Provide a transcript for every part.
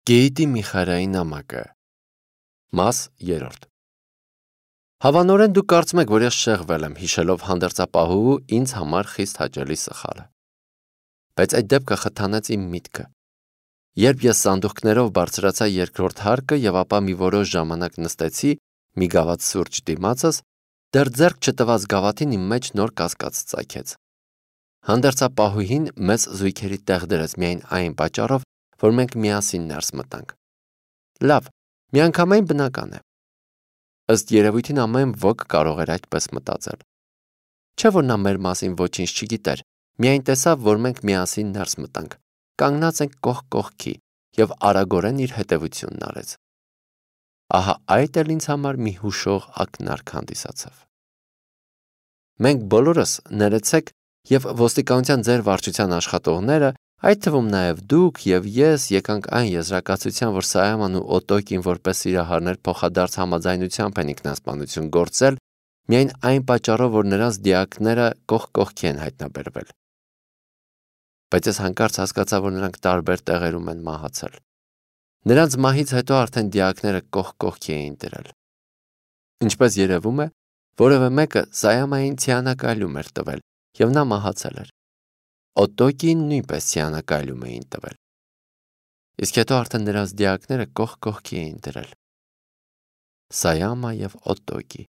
Գեյտի Միխարայի նամակը Մաս 3 Հավանորեն դուք կարծում եք, որ ես շեղվել եմ, հիշելով հանդերձապահու ինձ համար խիստ հաճելի սխալը։ Բայց այդ դեպքը խթանեց իմ միտքը։ Երբ ես սանդուղքներով բարձրացա երկրորդ հարկը եւ ապա մի որոշ ժամանակ նստեցի մի գավաթ սուրճ դիմացս, դեռ ձեռք չտված գավաթին իմ մեջ նոր կասկած ծագեց։ Հանդերձապահուհին մեզ զույգերի տեղ դրեց միայն այն պատճառով, որ մենք միասին ներս մտանք։ Լավ, միանգամայն բնական է։ Ըստ երևույթին ամեն ոք կարող էր այդպես մտածել։ Չէ՞ որ նա մեր մասին ոչինչ չգիտեր, միայն տեսավ, որ մենք միասին ներս մտանք, կանգնած ենք կողք կողքի եւ արագորեն իր հետևությունն արեց։ Ահա այդ էլ ինձ համար մի հուշող ակնարկ հանդիսացավ։ Մենք բոլորս ներեցեք եւ ոստիկանության ձեր վարչության աշխատողները, այդ թվում նաև դուք եւ ես եկանք այն եզրակացության, որ Սայաման ու Օտոկին որպես սիրահարներ փոխադարձ համաձայնությամբ են ինքնասպանություն գործել, միայն այն պատճառով, որ նրանց դիակները կողք կողքի են հայտնաբերվել։ Բայց ես հանկարծ հասկացա, որ նրանք տարբեր տեղերում են մահացել։ Նրանց մահից հետո արդեն դիակները կողք կողքի էին դրել։ Ինչպես երևում է, որևէ մեկը Սայամային ցիանակալյում էր տվել, եւ նա մահացել էր։ Օտոկին նույնպես ցիանակալյում էին տվել։ Իսկ հետո արդեն նրանց դիակները կողք կողքի էին դրել։ Սայամա եւ Օտոկի։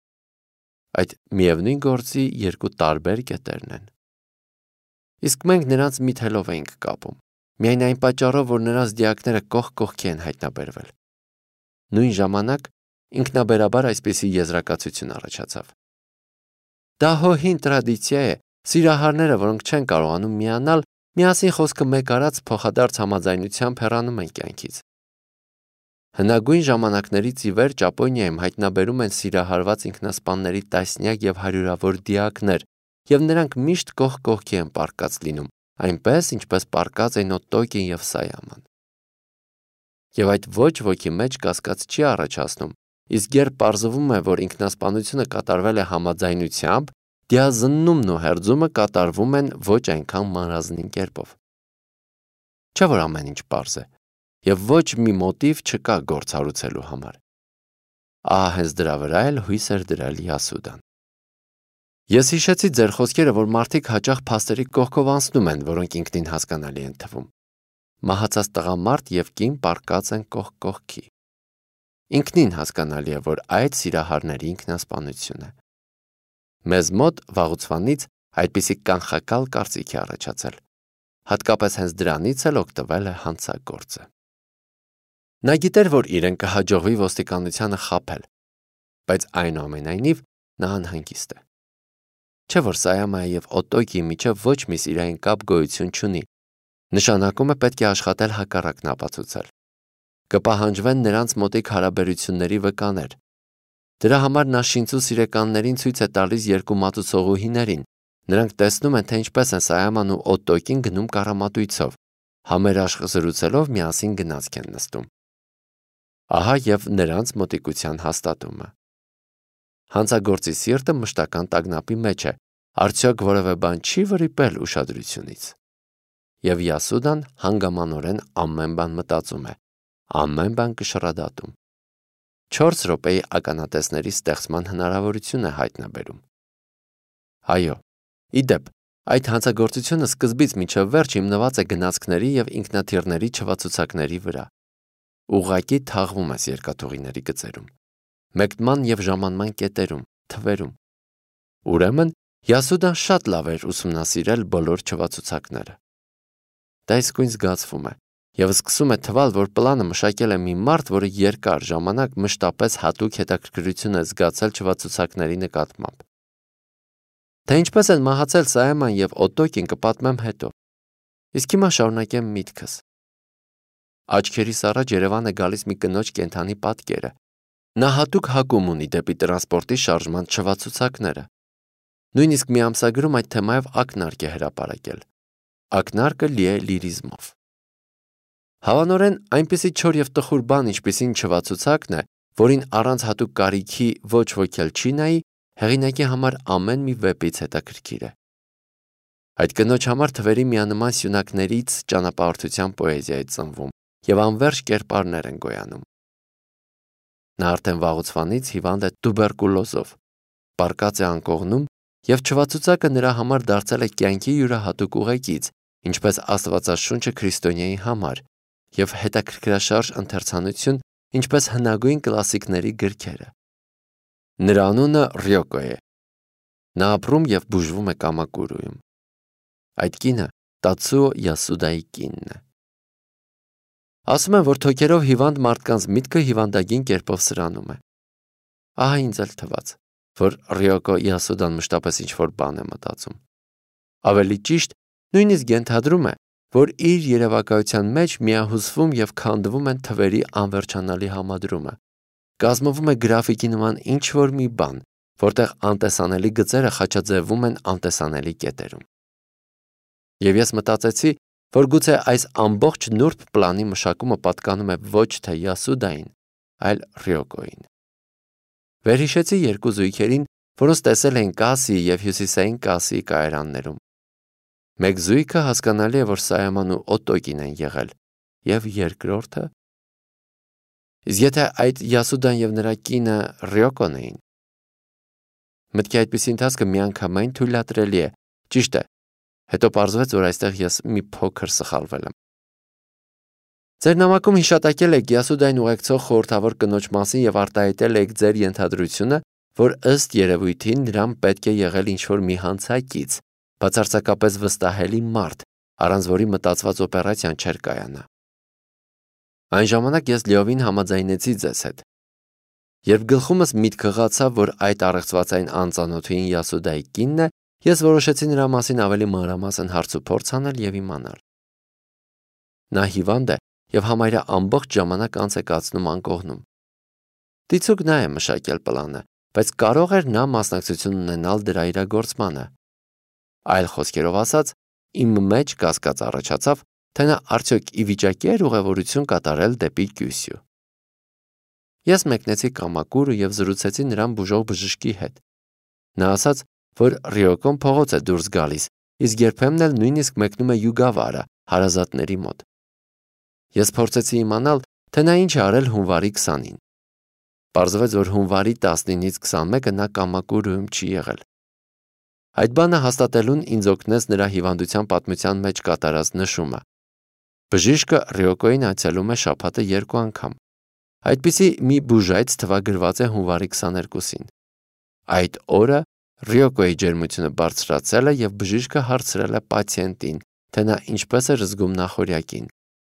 Այդ միևնույն գործի երկու տարբեր կետերն են։ Իսկ մենք նրանց միթելով էինք կապում, միայն այն պատճառով, որ նրանց դիակները կողք կողքի են հայտնաբերվել։ Նույն ժամանակ ինքնաբերաբար այսպիսի եզրակացություն առաջացավ։ Դա հին տրադիցիա է, սիրահարները, որոնք չեն կարողանում միանալ, միասին խոսքը մեկ արած փոխադարձ համաձայնությամբ հեռանում են կյանքից։ Հնագույն ժամանակներից ի վեր Ճապոնիայում հայտնաբերում են սիրահարված ինքնասպանների տասնյակ եւ հարյուրավոր դիակներ, եւ նրանք միշտ կողք կողքի են պառկած լինում, այնպես ինչպես պառկած են Օտոկին եւ Սայաման։ Եվ այդ ոչ ոքի մեջ կասկած չի առաջացնում, իսկ երբ պարզվում է, որ ինքնասպանությունը կատարվել է համաձայնությամբ, դիազննումն ու հերձումը կատարվում են ոչ այնքան մանրազնին կերպով։ Չէ՞ որ ամեն ինչ պարզ է, եւ ոչ մի մոտիվ չկա գործ հարուցելու համար։ Ահա հենց դրա վրա էլ հույս էր դրել Յասուդան։ Ես հիշեցի ձեր խոսքերը, որ մարդիկ հաճախ փաստերի կողքով անցնում են, որոնք ինքնին հասկանալի են թվում։ Մահացած տղամարդ եւ կին պառկած են կողք կողքի։ Ինքնին հասկանալի է, որ այդ սիրահարների ինքնասպանություն է։ Մեզ մոտ վաղուցվանից այդպիսի կանխակալ կարծիք է առաջացել։ Հատկապես հենց դրանից էլ օգտվել է հանցագործը։ Նա գիտեր, որ իրեն կհաջողվի ոստիկանությանը խաբել, բայց այնուամենայնիվ նա անհանգիստ է։ Չէ՞ որ Սայամայի եւ Օտոկիի միջև ոչ մի սիրային կապ գոյություն չունի։ Նշանակում է պետք է աշխատել հակառակն ապացուցել։ Կպահանջվեն նրանց մոտիկ հարաբերությունների վկաներ։ Դրա համար նա շինծու սիրեկաններին ցույց է տալիս երկու մատուցողուհիներին։ Նրանք տեսնում են, թե ինչպես են Սայաման ու Օտոկին գնում կառամատույցով, համերաշխ զրուցելով միասին գնացք են նստում։ Ահա եւ նրանց մոտիկության հաստատումը։ Հանցագործի սիրտը մշտական տագնապի մեջ է, արդյոք որևէ բան չի վրիպել ուշադրությունից։ Եվ Յասուդան հանգամանորեն ամեն բան մտածում է, ամեն բան կշռադատում։ 4 րոպեի ականատեսների ստեղծման հնարավորություն է հայտնաբերում։ Այո, իդեպ, այդ հանցագործությունը սկզբից մինչև վերջ հիմնված է գնացքների եւ ինքնաթիռների չվացուցակների վրա։ Ուղղակի թաղվում ես երկաթուղիների գծերում, մեկնման եւ ժամանման կետերում, թվերում։ Ուրեմն Յասուդան շատ լավ էր ուսումնասիրել բոլոր չվացուցակները։ Դա իսկույն զգացվում է եւ սկսում է թվալ, որ պլանը մշակել է մի մարդ, որը երկար ժամանակ մշտապես հատուկ հետաքրքրություն է զգացել չվացուցակների նկատմամբ։ Թե ինչպես են մահացել Սայաման եւ Օտոկին կպատմեմ հետո։ Իսկ հիմա շարունակեմ միտքս։ Աչքերիս առաջ Երևան է գալիս մի կնոջ կենդանի պատկերը։ Նա հատուկ հակում ունի դեպի տրանսպորտի շարժման չվացուցակները։ Նույնիսկ մի ամսագրում այդ թեմայով ակնարկ է հրապարակել։ Ակնարկը լի է լիրիզմով։ Հավանորեն այնպիսի չոր եւ տխուր բան, ինչպիսին չվացուցակն է, որին առանց հատուկ կարիքի ոչ ոք էլ չի նայի, հեղինակի համար ամեն մի վեպից հետաքրքիր է։ Այդ կնոջ համար թվերի միանման սյունակներից ճանապարհորդության պոեզիա է ծնվում և անվերջ կերպարներ են գոյանում։ Նա արդեն վաղուց հիվանդ է տուբերկուլոզով, պառկած է անկողնում և չվացուցակը նրա համար դարձել է կյանքի յուրահատուկ ուղեկից, ինչպես Աստվածաշունչը քրիստոնյայի համար, և հետաքրքրաշարժ ընթերցանություն, ինչպես հնագույն կլասիկների գրքերը։ Նրա անունը Ռյոկո է։ Նա ապրում և բուժվում է Կամակուրուում։ Այդ կինը Տացուո Յասուդայի կինն է։ Ասում են, որ թոքերով հիվանդ մարդկանց միտքը հիվանդագին կերպով սրանում է։ Ահա ինձ էլ թվաց, որ Ռյոկո Յասուդան մշտապես ինչ-որ բան է մտածում։ Ավելի ճիշտ, նույնիսկ ենթադրում է, որ իր երևակայության մեջ միահյուսվում և քանդվում են թվերի անվերջանալի համադրումը։ Կազմվում է գրաֆիկի նման ինչ-որ մի բան, որտեղ անտեսանելի գծերը խաչաձևվում են անտեսանելի կետերում։ Եվ ես մտածեցի, որ գուցե այս ամբողջ նուրբ պլանի մշակումը պատկանում է ոչ թե Յասուդային, այլ Ռյոկոյին։ Վերհիշեցի երկու զույգերին, որոնց տեսել էին Կասիի և Հյուսիսային Կասիի կայարաններում։ Մեկ զույգը հասկանալի է, որ Սայաման ու Օտոկին են եղել, և երկրորդը… Իսկ եթե այդ Յասուդան և նրա կինը Ռյոկոն էին… Մտքի այդպիսի ընթացքը միանգամայն թույլատրելի է, ճիշտ է, հետո պարզվեց, որ այստեղ ես մի փոքր սխալվել եմ։ Ձեր նամակում հիշատակել եք Յասուդային ուղեկցող խորհրդավոր կնոջ մասին և արտահայտել եք ձեր ենթադրությունը, որ ըստ երևույթին նրան պետք է եղել ինչ-որ մի հանցակից, բացարձակապես վստահելի մարդ, առանց որի մտածված օպերացիան չէր կայանա։ Այն ժամանակ ես լիովին համաձայնեցի ձեզ հետ։ Երբ գլխումս միտքը ղացավ, որ այդ առեղծվածային անծանոթուհին Յասուդայի կինն է, ես որոշեցի նրա մասին ավելի մանրամասն հարցուփորձ անել և իմանալ։ Նա հիվանդ է և համարյա ամբողջ ժամանակ անց է կացնում անկողնում։ Դիցուք նա է մշակել պլանը, բայց կարող էր նա մասնակցություն ունենալ դրա իրագործմանը։ Այլ խոսքերով ասած, իմ մեջ կասկած առաջացավ, թե նա արդյոք ի վիճակի էր ուղևորություն կատարել դեպի Կյուսյու։ Ես մեկնեցի Կամակուրու և զրուցեցի նրան բուժող բժշկի հետ։ Նա ասաց, որ Ռյոկոն փողոց է դուրս գալիս, իսկ երբեմն էլ նույնիսկ մեկնում է Յուգավարա, հարազատների մոտ։ Ես փորձեցի իմանալ, թե նա ինչ է արել հունվարի 20-ին։ Պարզվեց, որ հունվարի 19-ից 21-ը նա Կամակուրուում չի եղել։ Այդ բանը հաստատելուն ինձ օգնեց նրա հիվանդության պատմության մեջ կատարած նշումը։ Բժիշկը Ռյոկոյին այցելում է շաբաթը 2 անգամ։ Այդպիսի մի բուժայց թվագրված է հունվարի 22-ին։ Այդ օրը Ռյոկոյի ջերմությունը բարձրացել է և բժիշկը հարցրել է պացիենտին, թե նա ինչպես էր զգում նախօրյակին։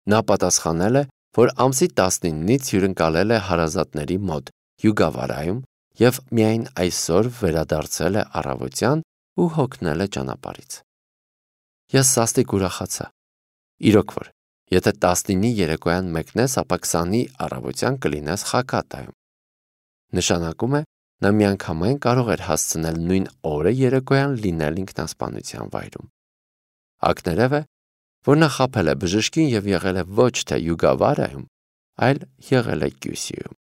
Նա պատասխանել է, որ ամսի 19-ից հյուրընկալել է հարազատների մոտ Յուգավարայում և միայն այսօր վերադարձել է առավոտյան ու հոգնել է ճանապարհից։ Ես սաստիկ ուրախացա։ Իրոք որ, եթե 19-ի երեկոյան մեկնես, ապա 20-ի առավոտյան կլինես Խակատայում։ Նշանակում է, նա միանգամայն կարող էր հասցնել նույն օրը երեկոյան լինել ինքնասպանության վայրում։ Ակներև է, որ նա խաբել է բժշկին և եղել է ոչ թե Յուգավարայում, այլ եղել է Կյուսյուում։